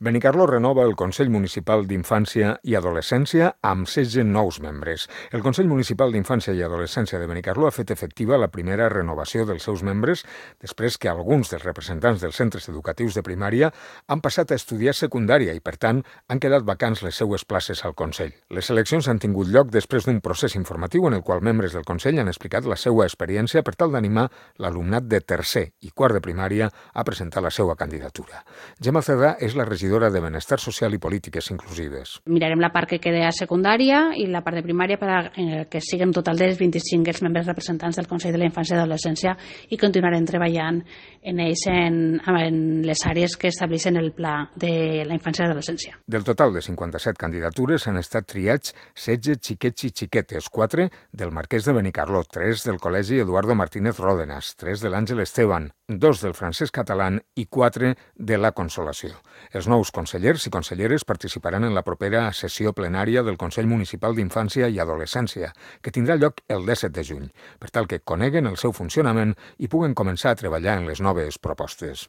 Benicarló renova el Consell Municipal d'Infància i Adolescència amb 16 nous membres. El Consell Municipal d'Infància i Adolescència de Benicarló ha fet efectiva la primera renovació dels seus membres després que alguns dels representants dels centres educatius de primària han passat a estudiar secundària i, per tant, han quedat vacants les seues places al Consell. Les eleccions han tingut lloc després d'un procés informatiu en el qual membres del Consell han explicat la seva experiència per tal d'animar l'alumnat de tercer i quart de primària a presentar la seva candidatura. Gemma Cerdà és la regidora de Benestar Social i Polítiques Inclusives. Mirarem la part que queda a secundària i la part de primària per que siguin total dels 25 els membres representants del Consell de la Infància i Adolescència i continuarem treballant en ells en les àrees que estableixen el Pla de la Infància i Adolescència. Del total de 57 candidatures han estat triats 16 xiquets i xiquetes, 4 del Marquès de Benicarló, 3 del Col·legi Eduardo Martínez Ródenas, 3 de l'Àngel Esteban, 2 del Francesc Catalán i 4 de la Consolació. Els nous consellers i conselleres participaran en la propera sessió plenària del Consell Municipal d'Infància i Adolescència, que tindrà lloc el 17 de juny, per tal que coneguen el seu funcionament i puguen començar a treballar en les noves propostes.